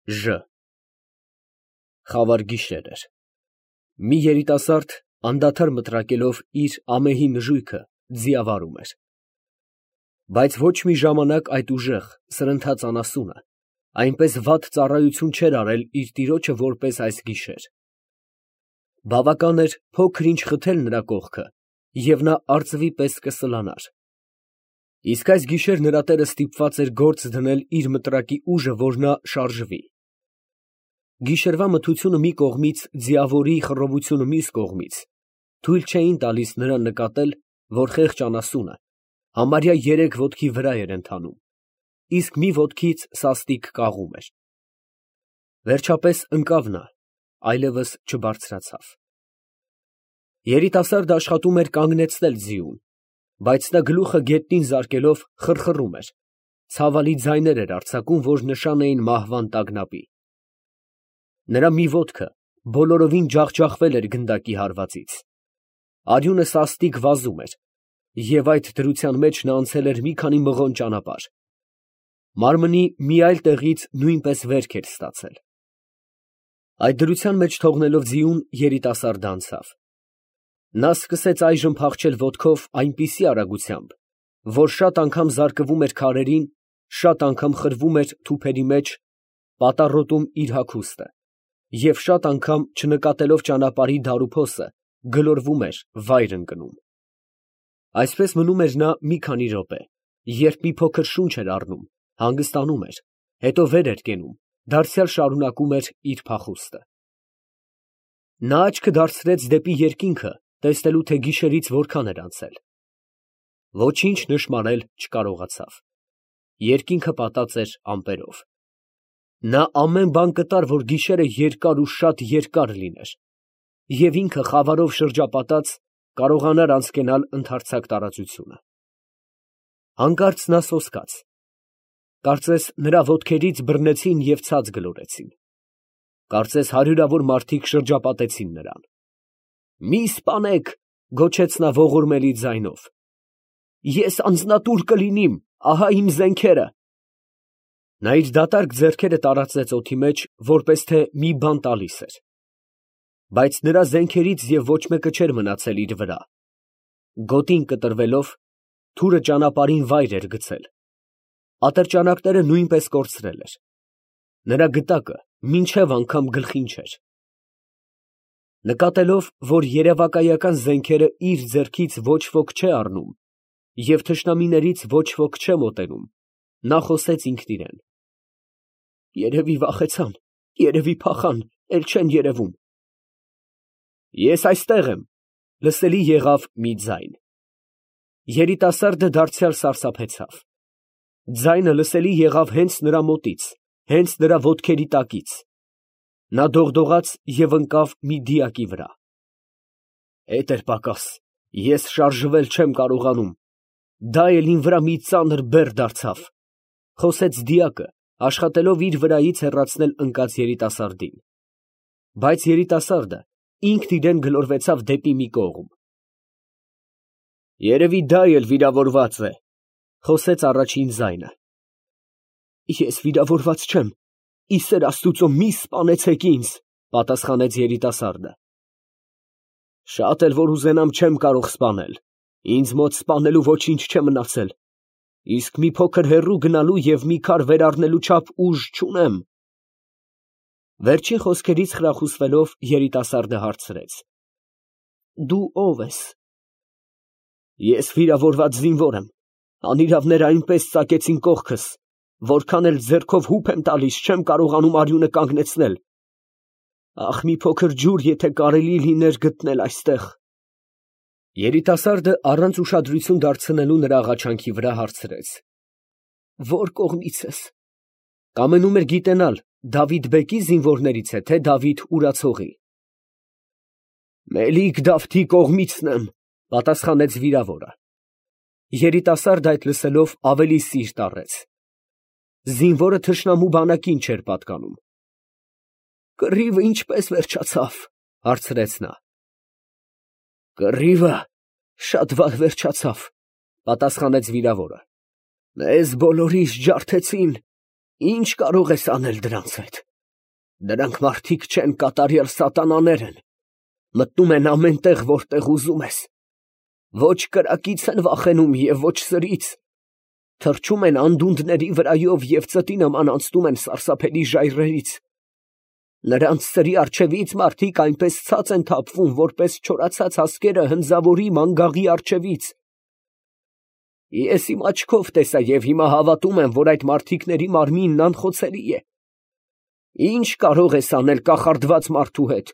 Ժ Խավար գիշեր էր։ Մի երիտասարդ անդադար մտրակելով իր ամեհի նժույգը ձիավարում էր։ Բայց ոչ մի ժամանակ այդ ուժեղ, սրընթաց անասունը այնպես վատ ծառայություն չէր արել իր տիրոջը, որպես այս գիշեր։ Բավական էր փոքր ինչ խթել նրա կողքը, և նա արծվի պես կսլանար։ Իսկ այս գիշեր նրա տերը ստիպված էր գործ դնել իր մտրակի ուժը, որ նա շարժվի։ Գիշերվա մթությունը մի կողմից, ձիավորի խռովությունը մյուս կողմից թույլ չէին տալիս նրան նկատել, որ խեղճ անասունը համարյա 3 ոտքի վրա էր ընթանում, իսկ մի ոտքից սաստիկ կաղում էր։ Վերջապես ընկավ նա, այլևս չբարձրացավ։ Երիտասարդը աշխատում էր կանգնեցնել ձիուն, բայց նա գլուխը գետնին զարկելով խռխռում էր, ցավալի ձայներ էր արձակում, որ նշան էին մահվան տագնապի։ Նրա մի ոտքը բոլորովին ջախջախվել էր գնդակի հարվածից։ Արյունը սաստիկ վազում էր, և այդ դրության մեջ նա անցել էր մի քանի մղոն ճանապարհ։ Մարմնի մի այլ տեղից նույնպես վերք էր ստացել։ Այդ դրության մեջ թողնելով ձիուն, երիտասարդը անցավ։ Նա սկսեց այժմ փախչել ոտքով այնպիսի արագությամբ, որ շատ անգամ զարկվում էր քարերին, շատ անգամ խրվում էր թուփերի մեջ, պատառոտում իր հագուստը, և շատ անգամ, չնկատելով ճանապարհի դարուփոսը, գլորվում էր, վայր ընկնում։ Այսպես մնում էր նա մի քանի րոպե, երբ մի փոքր շունչ էր առնում, հանգստանում էր, հետո վեր էր կենում, դարձյալ շարունակում էր իր փախուստը։ Նա աչքը դարձրեց դեպի երկինքը, տեսնելու, թե գիշերից որքան էր անցել։ Ոչինչ նշմարել չկարողացավ։ Երկինքը պատած էր ամպերով։ Նա ամեն բան կտար, որ գիշերը երկար ու շատ երկար լիներ, և ինքը խավարով շրջապատած կարողանար անցկենալ ընդարձակ տարածությունը։ Հանկարծ նա սոսկաց։ Կարծես նրա ոտքերից բռնեցին և ցած գլորեցին։ Կարծես հարյուրավոր մարդիկ շրջապատեցին նրան։ «Մի սպանեք», գոչեց նա ողորմելի ձայնով։ «Ես անձնատուր կլինիմ, ահա իմ զենքերը»։ Նա իր դատարկ ձեռքերը տարածեց օդի մեջ, որպես թե մի բան տալիս էր։ Բայց նրա զենքերից և ոչ մեկը չէր մնացել իր վրա։ Գոտին կտրվելով, թուրը ճանապարհին վայր էր գցել։ Ատրճանակները նույնպես կորցրել էր։ Նրա գդակը մինչև անգամ գլխին չէր։ Նկատելով, որ երևակայական զենքերը իր ձեռքից ոչ ոք չէ առնում, և թշնամիներից ոչ ոք չէ մոտենում, նա խոսեց ինքն իրան. «Երևի վախեցան, երևի փախան, էլ չեն երևում»։ «Ես այստեղ եմ», լսելի եղավ մի ձայն։ Երիտասարդը դարձյալ սարսափեցավ։ Ձայնը լսելի եղավ հենց նրա մոտից, հենց նրա ոտքերի տակից։ Նա դողդողաց և ընկավ մի դիակի վրա։ «Հետ էր պակաս, ես շարժվել չեմ կարողանում, դա էլ իմ վրա մի ծանր բեռ դարձավ», ֊ խոսեց դիակը, աշխատելով իր վրայից հեռացնել ընկած երիտասարդին։ Բայց երիտասարդը ինքն իրան գլորվեցավ դեպի մի կողմ։ «Երևի դա էլ վիրավորված է», ֊ խոսեց առաջին ձայնը։ «Ես վիրավորված չեմ, ի սեր Աստուծո մի սպանեցեք ինձ», ֊ պատասխանեց երիտասարդը։ «Շատ էլ որ ուզենամ, չեմ կարող սպանել, ինձ մոտ սպանելու ոչինչ չէ մնացել, իսկ մի փոքր հեռու գնալու և մի քար վերառնելու չափ ուժ չունեմ»։ Վերջին խոսքերից խրախուսվելով, երիտասարդը հարցրեց. «Դու ո՞վ ես»։ «Ես վիրավորված զինվոր եմ, անիրավները այնպես ծակեցին կողքս, որքան էլ ձեռքով հուպ եմ տալիս, չեմ կարողանում արյունը կանգնեցնել։ Ախ, մի փոքր ջուր եթե կարելի լիներ գտնել այստեղ»։ Երիտասարդը առանց ուշադրություն դարձնելու նրա աղաչանքի վրա հարցրեց. «Ո՞ր կողմից ես»։ Կամենում էր գիտենալ Դավիթ֊բեկի զինվորներից է, թե Դավիթ урացողի։ «Մելիք-Դավթի կողմիցն եմ», ֊ պատասխանեց վիրավորը։ Երիտասարդը այդ լսելով ավելի սիրտ առեց։ Զինվորը թշնամու բանակին չէր պատկանում։ «Կռիվը ինչպե՞ս վերջացավ», ֊ հարցրեց նա։ «Կռիվը շատ վատ վերջացավ», ֊ պատասխանեց վիրավորը։ «Մեզ բոլորիս ջարդեցին, ի՞նչ կարող ես անել դրանց հետ»։ Դրանք մարդիկ չեն, կատարյալ սատանաներ են, մտնում են ամեն տեղ, որտեղ ուզում ես, ոչ կրակից են վախենում և ոչ սրից, թռչում են անդունդների վրայով և ծտի նման անցնում են սարսափելի ժայռերից, նրանց սրի առջևից մարդիկ այնպես ցած են թափվում, որպես չորացած ասկերը հնձավորի մանգաղի առջևից։ Ես իմ աչքով տեսա և հիմա հավատում եմ, որ այդ մարդիկների մարմինն անխոցելի է։ Ինչ կարող ես անել կախարդված մարդու հետ,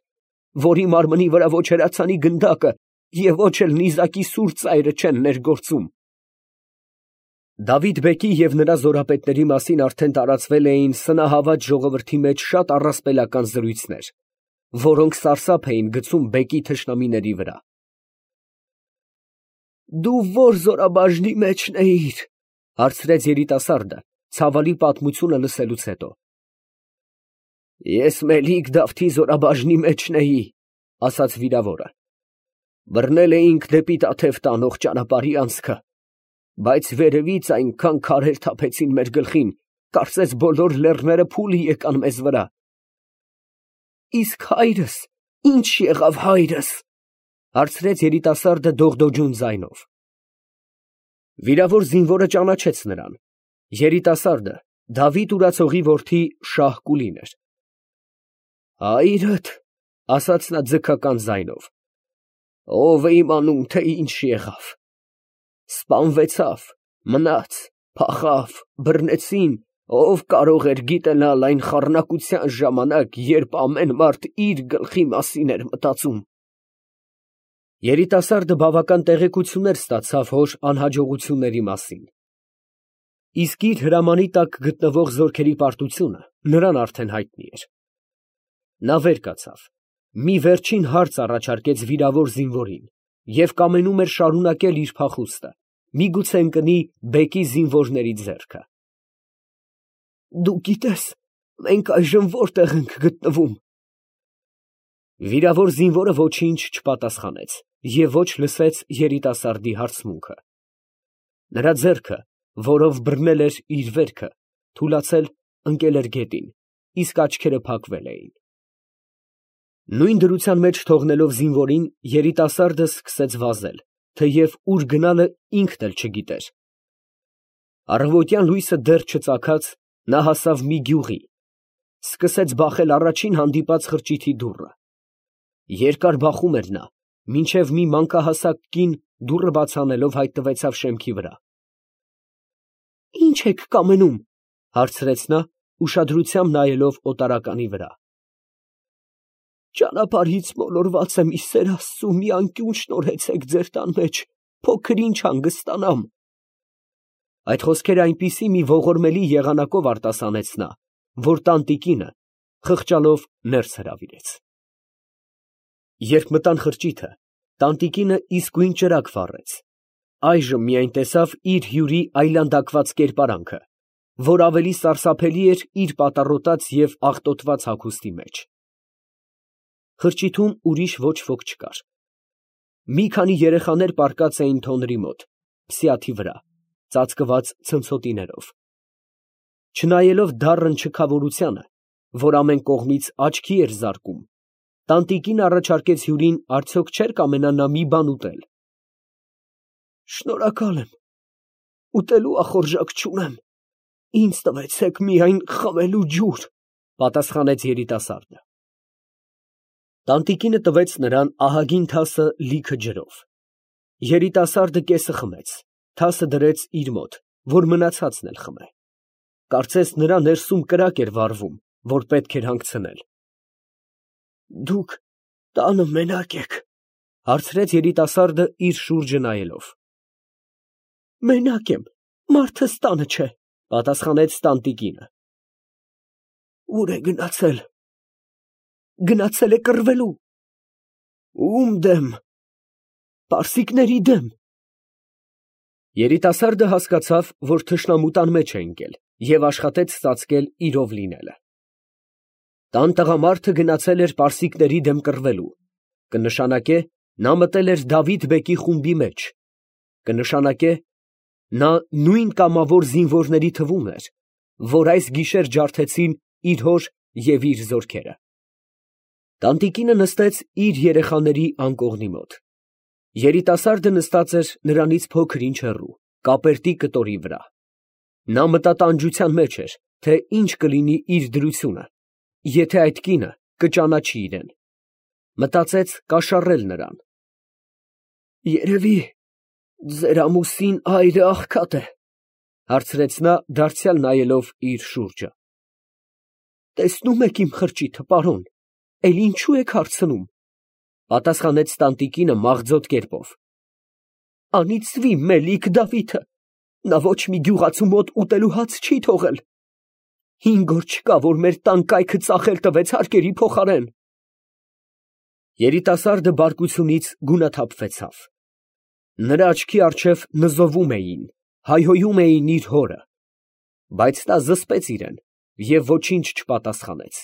որի մարմնի վրա ոչ հրացանի գնդակը և ոչ էլ նիզակի սուր ծայրը չեն ներգործում։ Դավիթ֊բեկի և նրա զորապետների մասին արդեն տարածվել էին սնահավատ ժողովրդի մեջ շատ առասպելական զրույցներ, որոնք սարսափ էին գցում բեկի թշնամիների վրա։ Դու ո՞ր զորաբաժնի մեջն էիր, հարցրեց երիտասարդը, ցավալի պատմությունը լսելուց հետո։ Ես Մելիք Դավթի զորաբաժնի մեջն էի, ասաց վիրավորը։ Բռնել էինք դեպի Տաթև տանող ճանապարհի անցքը, բայց վերևից այնքան քարեր թափեցին մեր գլխին, կարծես բոլոր լեռները փուլի եկան մեզ վրա։ Իսկ հայրս, ի՞նչ եղավ հայրս, հարցրեց երիտասարդը դողդոջուն ձայնով։ Վիրավոր զինվորը ճանաչեց նրան։ Երիտասարդը Դավիթ ուրացողի որդի Շահ֊Կուլին էր։ Հայրդ, ասաց նա ձգական ձայնով, ով է իմանում, թե ինչ եղավ։ Սպանվեցավ, մնաց, փախավ, բռնեցին, ով կարող էր գիտենալ այն խառնակության ժամանակ, երբ ամեն մարդ իր գլխի մասին էր մտածում։ Երիտասարդը բավական տեղեկություններ ստացավ հոր անհաջողությունների մասին։ Իսկ իր հրամանի տակ գտնվող զորքերի պարտությունը նրան արդեն հայտնի էր։ Նա վեր կացավ, մի վերջին հարց առաջարկեց վիրավոր զինվորին և կամենում էր շարունակել իր փախուստը, միգուցե ընկնի բեկի զինվորների ձեռքը։ Դու գիտես, մենք այժմ որտեղ ենք գտնվում։ Վիրավոր զինվորը ոչինչ չպատասխանեց և ոչ լսեց երիտասարդի հարցմունքը։ Նրա ձեռքը, որով բռնել էր իր վերքը, թուլացել ընկել էր գետին, իսկ աչքերը փակվել էին։ Նույն դրության մեջ թողնելով զինվորին, երիտասարդը սկսեց վազել, թեև ուր գնալը ինքն էլ չգիտեր։ Առավոտյան լույսը դեռ չծագած, նա հասավ մի գյուղի, սկսեց բախել առաջին հանդիպած խրճիթի դուռը։ Երկար բախում էր նա, մինչև մի մանկահասակ կին դուռը բաց անելով հայտնվեցավ շեմքի վրա։ Ի՞նչ եք կամենում, հարցրեց նա, ուշադրությամբ նայելով օտարականի վրա։ Ճանապարհից մոլորված եմ, ի սեր Աստծու, մի անկյուն շնորհեցեք ձեր տան մեջ, փոքր ինչ հանգստանամ։ Այդ խոսքերը այնպիսի մի ողորմելի եղանակով արտասանեց նա, որ տանտիկինը խղճալով ներս հրավիրեց։ Երբ մտան խրճիթը, տանտիկինը իսկույն ճրագ վառեց։ Այժմ միայն տեսավ իր հյուրի այլանդակված կերպարանքը, որ ավելի սարսափելի էր իր պատառոտած և աղտոտված հագուստի մեջ։ Խրճիթում ուրիշ ոչ ոք չկար։ Մի քանի երեխաներ պառկած էին թոնրի մոտ, փսիաթի վրա, ծածկված ցնցոտիներով։ Չնայելով դառն չքավորությանը, որ ամեն կողմից աչքի էր զարկում, տանտիկին առաջարկեց հյուրին արդյոք չէր կամենա նա մի բան ուտել։ Շնորհակալ եմ, ուտելու ախորժակ չունեմ, ինձ տվեցեք միայն խմելու ջուր, պատասխանեց երիտասարդը։ Տանտիկինը տվեց նրան ահագին թասը լիքը ջրով։ Երիտասարդը կեսը խմեց, թասը դրեց իր մոտ, որ մնացածն էլ խմե։ Կարծես նրա ներսում կրակ էր վառվում, որ պետք էր հանգցնել։ Դուք տանը մենակ եք, հարցրեց երիտասարդը իր շուրջը նայելով։ Մենակ եմ, մարդս տանը չէ, պատասխանեց տանտիկինը։ Ուր է գնացել։ Գնացել է կռվելու։ Ում դեմ։ Պարսիկների դեմ։ Երիտասարդը հասկացավ, որ թշնամու տան մեջ է ընկել և աշխատեց ծածկել իրով լինելը։ Տան տղամարդը գնացել էր պարսիկների դեմ կռվելու, կնշանակե նա մտել էր Դավիթ֊բեկի խումբի մեջ, կնշանակե նա նույն կամավոր զինվորների թվում էր, որ այս գիշեր ջարդեցին իր հոր և իր զորքերը։ Տանտիկինը նստեց իր երեխաների անկողնի մոտ։ Երիտասարդը նստած էր նրանից փոքր ինչ հեռու, կապերտի կտորի վրա։ Նա մտատանջության մեջ էր, թե ինչ կլինի իր դրությունը, եթե այդ կինը կճանաչի իրան, մտածեց կաշառել նրան։ «Երևի ձեր ամուսին այրը աղքատ է, ֊ հարցրեց նա, դարձյալ նայելով իր շուրջը։ ֊ Տեսնում եք իմ խրճիթը, պարոն, էլ ինչու եք հարցնում, ֊ պատասխանեց տանտիկինը մաղձոտ կերպով։ ֊ Անիծվի մելիք Դավիթը, նա ոչ մի գյուղացու մոտ ուտելու հաց չի թողել։ 5 օր չկա, որ մեր տան կայքը ծախել տվեց հարկերի փոխարեն։ Երիտասարդը բարկությունից գունաթափվեցավ։ Նրա աչքի առջև նզովում էին, հայհոյում էին իր հորը, բայց նա զսպեց իրան և ոչինչ չպատասխանեց։